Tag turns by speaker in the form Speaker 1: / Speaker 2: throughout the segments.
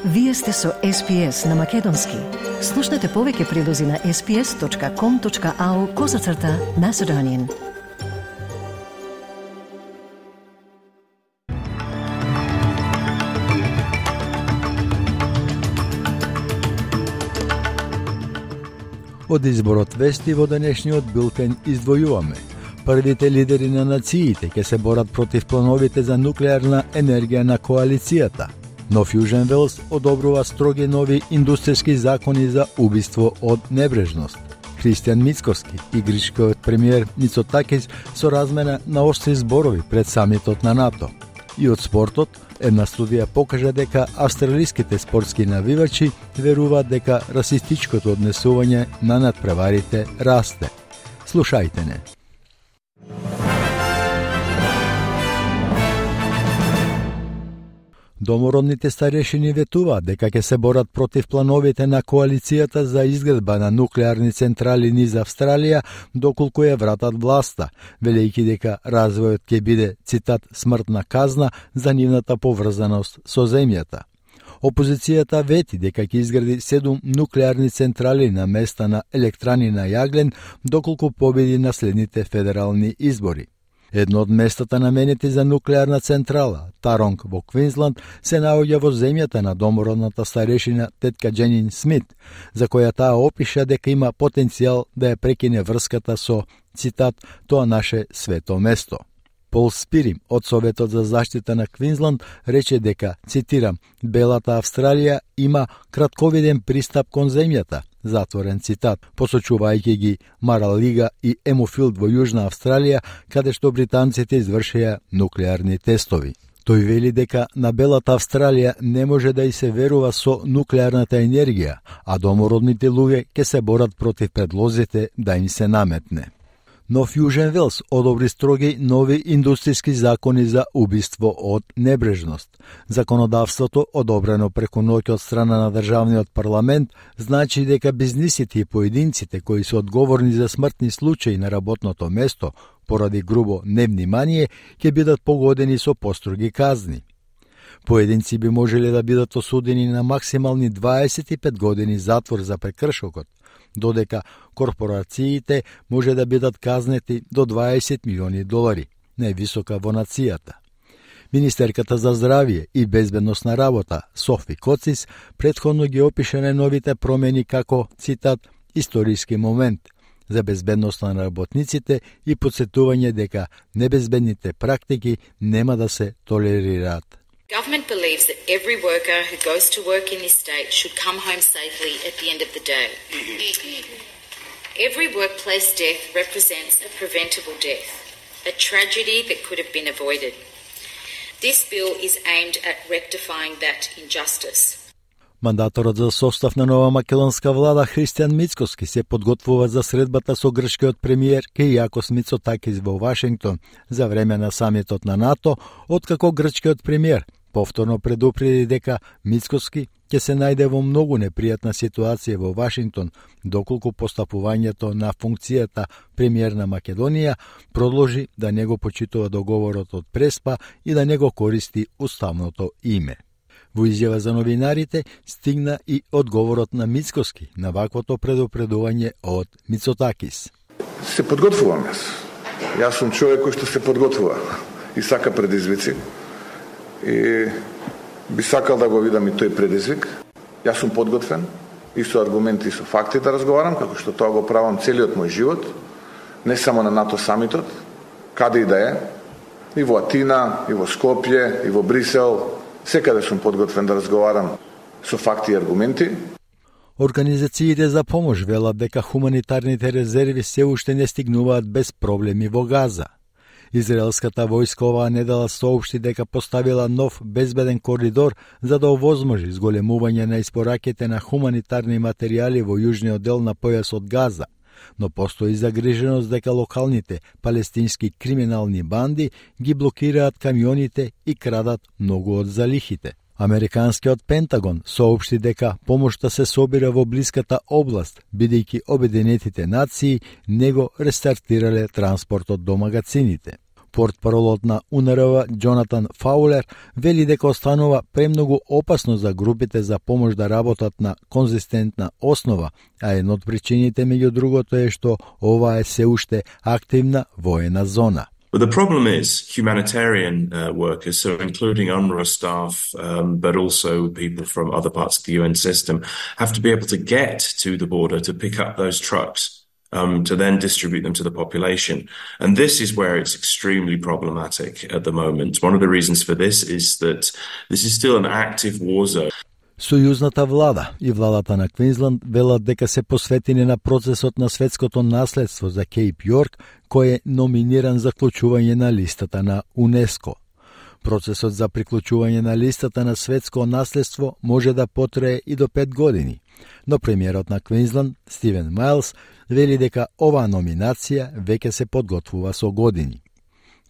Speaker 1: Вие сте со SPS на Македонски. Слушнете повеќе прилози на sps.com.au/Macedonian.
Speaker 2: Од изборот вести во денешниот билтен издвојуваме. Првите лидери на нациите ќе се борат против плановите за нуклеарна енергија на коалицијата. Нов Јужен Велс одобрува строги нови индустријски закони за убиство од небрежност. Христијан Мицкоски и грчкиот премиер Мицотакис со размена на остри зборови пред самитот на НАТО. И од спортот, една студија покажа дека австралиските спортски навивачи веруваат дека расистичкото однесување на надпреварите расте. Слушајте не. Домородните старешини ветуваат дека ќе се борат против плановите на коалицијата за изградба на нуклеарни централи низ Австралија доколку ја вратат власта, велејќи дека развојот ќе биде, цитат, смртна казна за нивната поврзаност со земјата. Опозицијата вети дека ќе изгради 7 нуклеарни централи на места на електрани на јаглен доколку победи на следните федерални избори. Едно од местата наменети за нуклеарна централа, Таронг во Квинсланд, се наоѓа во земјата на домородната старешина тетка Дженин Смит, за која таа опиша дека има потенцијал да ја прекине врската со, цитат, тоа наше свето место. Пол Спирим од Советот за заштита на Квинсланд рече дека, цитирам, Белата Австралија има кратковиден пристап кон земјата, затворен цитат, посочувајќи ги Маралига и Емофилд во Јужна Австралија, каде што британците извршија нуклеарни тестови. Тој вели дека на Белата Австралија не може да и се верува со нуклеарната енергија, а домородните луѓе ќе се борат против предлозите да им се наметне. Нов Јужен Велс одобри строги нови индустријски закони за убиство од небрежност. Законодавството, одобрено преку ноќ од страна на државниот парламент, значи дека бизнисите и поединците кои се одговорни за смртни случаи на работното место поради грубо невнимание ќе бидат погодени со построги казни. Поединци би можеле да бидат осудени на максимални 25 години затвор за прекршокот, додека корпорациите може да бидат казнети до 20 милиони долари, највисока во нацијата. Министерката за здравје и безбедност на работа Софи Коцис претходно ги опиша најновите промени како, цитат, историски момент за безбедноста на работниците и подсетување дека небезбедните практики нема да се толерираат.
Speaker 3: Government believes that every worker who goes to work in this state should come home safely at the end of the day. Every workplace death represents a preventable death, a tragedy that could have been avoided. This bill is aimed at rectifying that injustice.
Speaker 2: Мандаторот за состав на нова македонска влада Христијан Мицкоски се подготвува за средбата со грчкиот премиер Кијакос Мицотакис во Вашингтон за време на самитот на НАТО, откако грчкиот премиер повторно предупреди дека Мицкоски ќе се најде во многу непријатна ситуација во Вашингтон, доколку постапувањето на функцијата премиер на Македонија продолжи да не го почитува договорот од Преспа и да не го користи уставното име. Во изјава за новинарите стигна и одговорот на Мицкоски на ваквото предупредување од Мицотакис.
Speaker 4: Се подготвувам јас. Јас сум човек кој што се подготвува и сака предизвици. И би сакал да го видам и тој предизвик. Јас сум подготвен и со аргументи и со факти да разговарам, како што тоа го правам целиот мој живот, не само на НАТО самитот, каде и да е, и во Атина, и во Скопје, и во Брисел, секаде сум подготвен да разговарам со факти и аргументи.
Speaker 2: Организациите за помош велат дека хуманитарните резерви се уште не стигнуваат без проблеми во Газа. Израелската војска оваа недела соопшти дека поставила нов безбеден коридор за да овозможи зголемување на испораките на хуманитарни материјали во јужниот дел на појасот Газа, но постои загриженост дека локалните палестински криминални банди ги блокираат камионите и крадат многу од залихите. Американскиот Пентагон соопшти дека помошта се собира во блиската област, бидејќи Обединетите нации не го рестартирале транспортот до магацините. Портпаролот на УНРВ Џонатан Фаулер вели дека останува премногу опасно за групите за помош да работат на конзистентна основа, а една од причините меѓу другото е што ова е се уште активна воена зона.
Speaker 5: But the problem is humanitarian workers, so including UNRWA staff, but also people from other parts of the UN system, have to be able to get to the border to pick up those trucks, to then distribute them to the population. And this is where it's extremely problematic at the moment. One of the reasons for this is that this is still an active war zone.
Speaker 2: Сојузната влада и владата на Квинсланд велат дека се посветени на процесот на светското наследство за Кейп Јорк, кој е номиниран за вклучување на листата на УНЕСКО. Процесот за приклучување на листата на светско наследство може да потрае и до 5 години, но премиерот на Квинсланд, Стивен Мајлс, вели дека оваа номинација веќе се подготвува со години.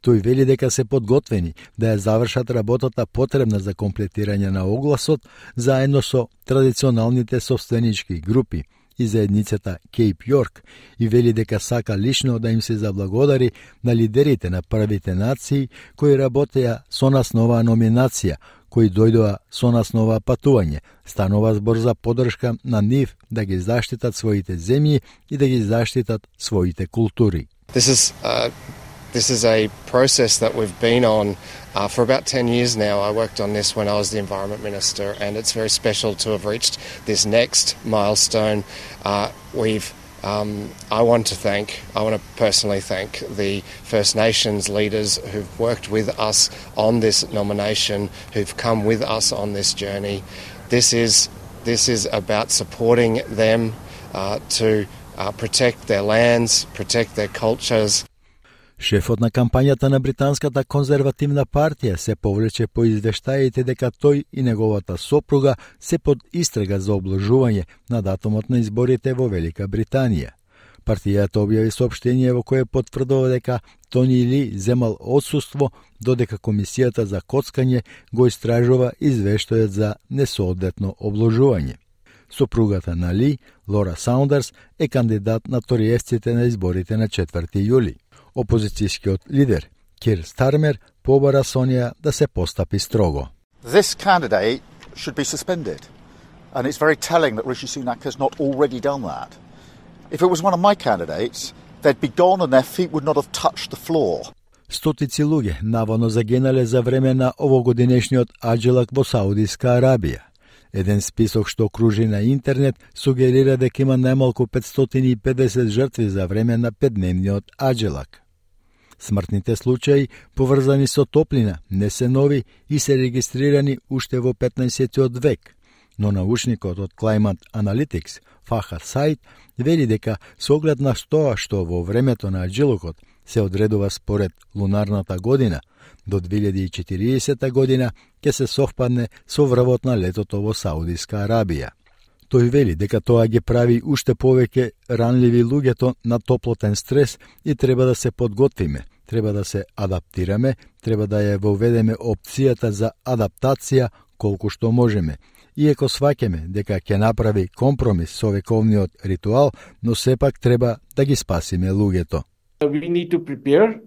Speaker 2: Тој вели дека се подготвени да ја завршат работата потребна за комплетирање на огласот заедно со традиционалните собственички групи и заедницата Кейп Јорк и вели дека сака лично да им се заблагодари на лидерите на првите нации кои работеа со нас на оваа номинација, кои дојдоа со нас на оваа патување. Станува збор за поддршка на нив да ги заштитат своите земји и да ги заштитат своите култури.
Speaker 6: This is a process that we've been on for about 10 years now. I worked on this when I was the Environment Minister, and it's very special to have reached this next milestone. I want to personally thank the First Nations leaders who've worked with us on this nomination, who've come with us on this journey. This is about supporting them to protect their lands, protect their cultures.
Speaker 2: Шефот на кампањата на британската конзервативна партија се повлече по извештаите дека тој и неговата сопруга се под истрага за обложување на датумот на изборите во Велика Британија. Партијата објави соопштение во кое потврдува дека Тони Ли земал отсуство додека комисијата за коцкање го истражува извештајот за несоодветно обложување. Сопругата на Ли, Лора Саундерс, е кандидат на ториевците на изборите на 4 јули. Опозицијскиот лидер Кир Стармер побара Сонија да се постапи строго.
Speaker 7: This candidate should be suspended. And it's very telling that Rishi Sunak has not already done that. If it was one of my candidates, they'd be gone and their feet would not have touched the floor.
Speaker 2: Стотици луѓе наводно загинале за време на овогодинешниот аџилак во Саудиска Арабија. Еден список што кружи на интернет сугерира дека има најмалку 550 жртви за време на 5-дневниот аџилак. Смртните случаи, поврзани со топлина, не се нови и се регистрирани уште во 15-тиот век, но научникот од Climate Analytics, Фахад Саид, вели дека со оглед на тоа што во времето на аџилокот се одредува според лунарната година, до 2040 година ќе се совпадне со врвот на летото во Саудиска Арабија. Тој вели дека тоа ги прави уште повеќе ранливи луѓето на топлотен стрес и треба да се подготвиме, треба да се адаптираме, треба да ја воведеме опцијата за адаптација колку што можеме. Иако сваќаме дека ќе направи компромис со вековниот ритуал, но сепак треба да ги спасиме луѓето.
Speaker 8: We need to prepare,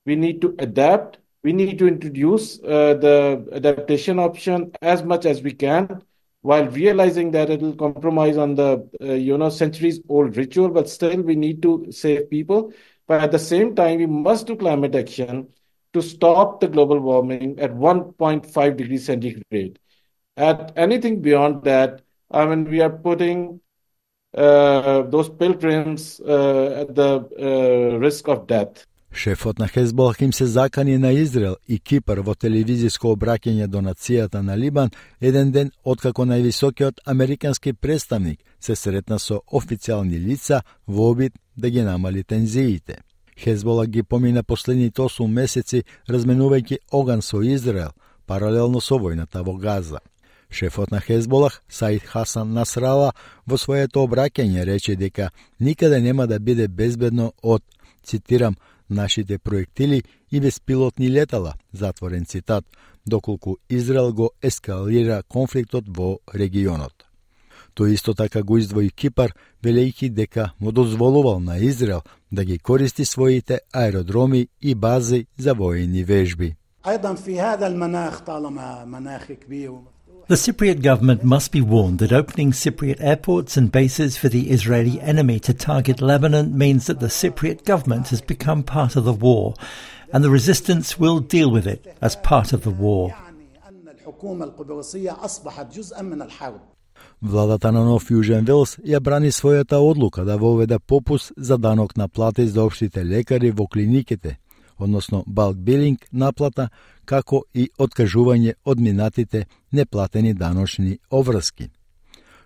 Speaker 8: we need to adapt, we need to introduce the adaptation option as much as we can, while realizing that it will compromise on the centuries-old ritual, but still we need to save people. But at the same time, we must do climate action to stop the global warming at 1.5 degrees centigrade. At anything beyond that, we are putting those pilgrims at the risk of death.
Speaker 2: Шефот на Хезболах им се закани на Израел и Кипар во телевизиско обраќање до нацијата на Либан еден ден откако највисокиот американски представник се сретна со официјални лица во обид да ги намали тензиите. Хезболах ги помина последните 8 месеци разменувајќи оган со Израел, паралелно со војната во Газа. Шефот на Хезболах, Саид Хасан Насрала, во своето обраќање рече дека никаде нема да биде безбедно од, цитирам, нашите проектили и беспилотни летала, затворен цитат, доколку Израел го ескалира конфликтот во регионот. Тој исто така го издвои Кипар, велејќи дека му дозволувал на Израел да ги користи своите аеродроми и бази за воени вежби.
Speaker 9: The Cypriot government must be warned that opening Cypriot airports and bases for the Israeli enemy to target Lebanon means that the Cypriot government has become part of the war, and the resistance will deal with it as part of the war.
Speaker 2: Владата на Нов Јужен Велс ја брани својата одлука да воведе попуст за данок на плати за општите лекари во клиниките, односно bulk billing наплата, како и откажување од минатите неплатени даночни обврски.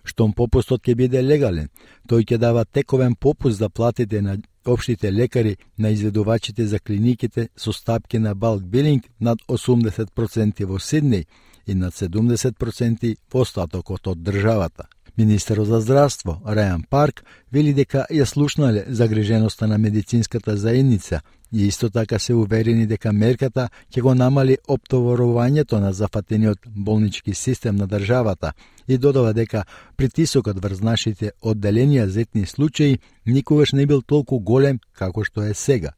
Speaker 2: Штом попустот ќе биде легален, тој ќе дава тековен попуст за платите на општите лекари на изведувачите за клиниките со стапки на bulk billing над 80% во Сиднеј и над 70% во остатокот од државата. Министерот за здравство Рајан Парк вели дека ја слушнале загриженоста на медицинската заедница и исто така се уверени дека мерката ќе го намали оптоварувањето на зафатениот болнички систем на државата и додава дека притисокот врз нашите одделенија за етни случаи никогаш не бил толку голем како што е сега.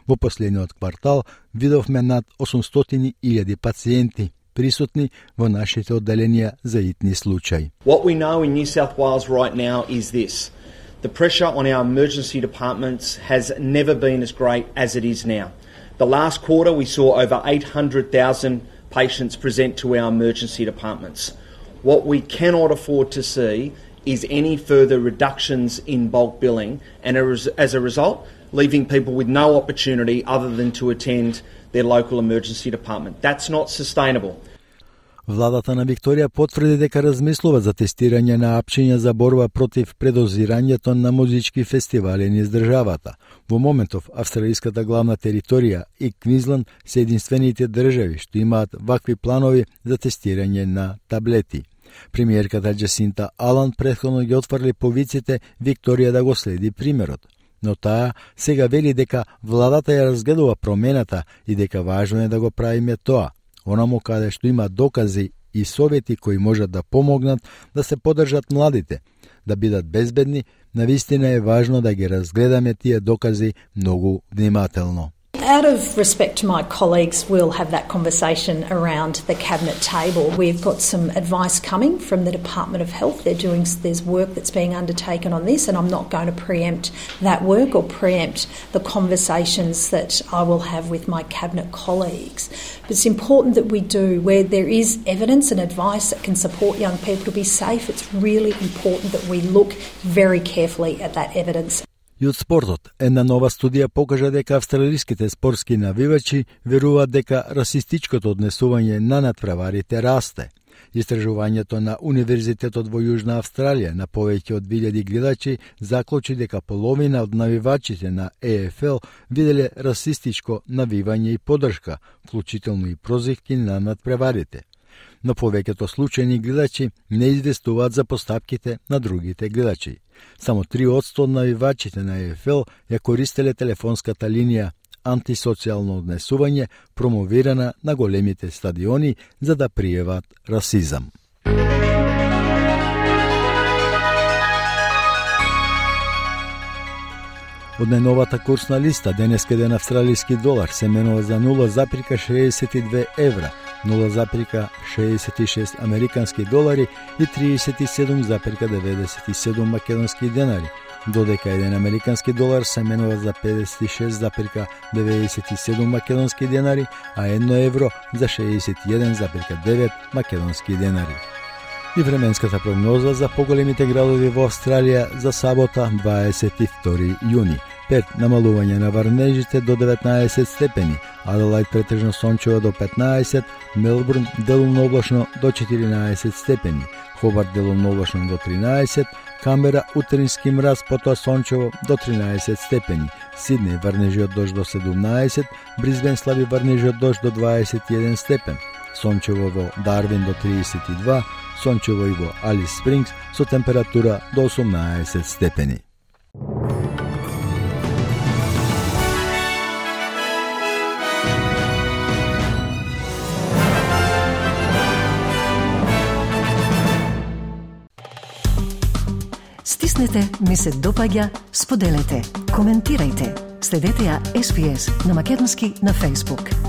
Speaker 2: Во последниот квартал видовме над 800.000 пациенти присутни во нашите одделенија за итни случаи.
Speaker 10: What we know in New South Wales right now is this. The pressure on our emergency departments has never been as great as it is now. The last quarter we saw over 800,000 patients present to our emergency departments. What we cannot afford to see is any further reductions in bulk billing and as a result leaving people with no opportunity other than to attend their local emergency department. That's not sustainable.
Speaker 2: Владата на Викторија потврди дека размислува за тестирање на апчиња за борба против предозирањето на музички фестивали низ државата. Во моментов, австралиската главна територија и Квинсланд се единствените држави што имаат вакви планови за тестирање на таблети. Премиерката Джасинта Алан претходно ги отврли повиците Викторија да го следи примерот. Но таа сега вели дека владата ја разгледува промената и дека важно е да го правиме тоа, онамо каде што има докази и совети кои можат да помогнат да се поддржат младите, да бидат безбедни. Навистина е важно да ги разгледаме тие докази многу внимателно.
Speaker 11: Out of respect to my colleagues, we'll have that conversation around the cabinet table. We've got some advice coming from the Department of Health. There's work that's being undertaken on this, and I'm not going to preempt that work or preempt the conversations that I will have with my cabinet colleagues. But it's important that we do, where there is evidence and advice that can support young people to be safe, it's really important that we look very carefully at that evidence.
Speaker 2: И од спортот, една нова студија покажа дека австралиските спортски навивачи веруваат дека расистичкото однесување на надпреварите расте. Истражувањето на Универзитетот во Јужна Австралија на повеќе од 1000 гледачи заклучи дека половина од навивачите на ЕФЛ виделе расистичко навивање и поддршка, вклучително и прозивки на надпреварите. Но повеќето случајни гледачи не известуваат за постапките на другите гледачи. Само 3% од навивачите на ЕФЛ ја користеле телефонската линија антисоцијално однесување, промовирана на големите стадиони за да пријават расизам. Од најновата курсна листа, денеска еден австралиски долар се менува за 0,62 евра, 0,66 американски долари и 37,97 македонски денари, додека еден американски долар се менува за 56,97 македонски денари, а 1 евро за 61,9 македонски денари. И временската прогноза за поголемите градови во Австралија за сабота 22 јуни. Перт намалување на врнежите до 19 степени, Аделајд претежно сончево до 15, Мелбурн делумно облачно до 14 степени, Хобарт делумно облачно до 13, Камбера утрински мраз, потоа сончево до 13 степени, Сиднеј врнежи од дожд до 17, Бризбен слаби врнежи од дожд до 21 степен, сончево во Дарвин до 32, сончево и во Алис Спрингс со температура до 18 степени.
Speaker 1: натиснете ми се допаѓа, споделете, коментирајте. Следете ја SPS на македонски на Facebook.